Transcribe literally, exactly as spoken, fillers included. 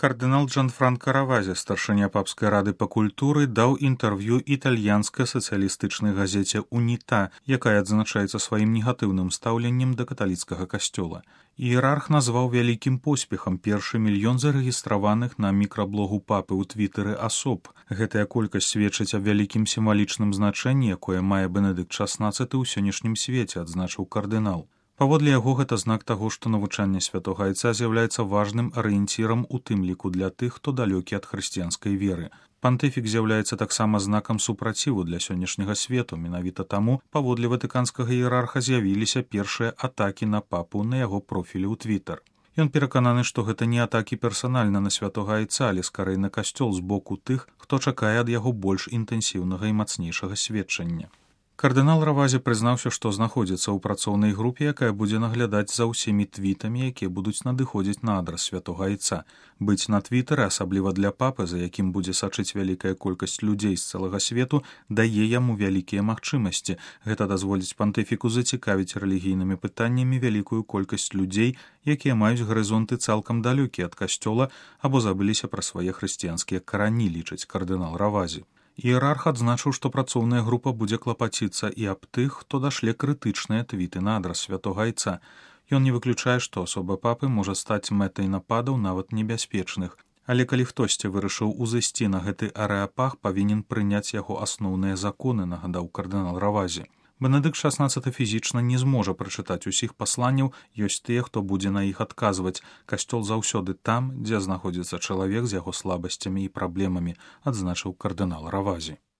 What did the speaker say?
Кардынал Джанфранка Равази, старшыня папскай рады па культуры, даў інтэрв'ю італьянскай сацыялістычнай газеце «Уніта», якая адзначаецца сваім негатыўным стаўленнем да каталіцкага касцёла. Іерарх назваў вялікім поспехам першы мільён зарэгістраваных на мікраблогу папы ў твітэры асоб. Гэтая колькасць сведчыць аб вялікім сімвалічным значэнні, якое мае Бенедыкт шаснаццаты ў сённяшнім свеце, адзначыў кардынал. Паводле яго гэта знак таго, што навучанне святога айца з'яўляецца важным арыенцірам у тым ліку для тых, хто далёкі ад хрысціянскай веры. Пантыфік з'яўляецца таксама знакам супраціву для сённяшняга свету, менавіта таму, паводле ватыканскага іерарха з'явіліся першыя атакі на папу на яго профілі ў твітар. Ён перакананы, што гэта не атакі персанальна на святога айца, але скарэй на касцёл з боку тых, хто чакае ад яго больш інтэнсіўнага і мацнейшага сведчання. Кардынал Равази прызнаўся, што знаходзіцца ў працоўнай групе, якая будзе наглядаць за ўсімі твітамі, якія будуць надыходзіць на адрас святога айца. Быць на твітары, асабліва для папы, за якім будзе сачыць вялікая колькасць людзей з цэлага свету, дае яму вялікія магчымасці. Гэта дазволіць пантыфіку зацікавіць рэлігійнымі пытаннямі вялікую колькасць людзей, якія маюць гарызонты цалкам далёкія ад касцёла або забыліся пра свае хрысціянскія карані, лічыць кардынал Равази. Іерарх адзначыў, што працоўная група будзе клапаціцца і аб тых, хто дашле крытычныя твіты на адрас святога айца. Ён не выключае, што асоба папы можа стаць мэтай нападаў нават небяспечных. Але калі хтосьці вырашыў узысці на гэты арэапаг, павінен прыняць яго асноўныя законы, нагадаў кардынал Равази. Бенедыкт шаснаццаты фізічна не зможа прачытаць усіх пасланняў, ёсць тыя, хто будзе на іх адказваць. Касцёл заўсёды там, дзе знаходзіцца чалавек з яго слабасцямі і праблемамі, адзначыў кардынал Равази.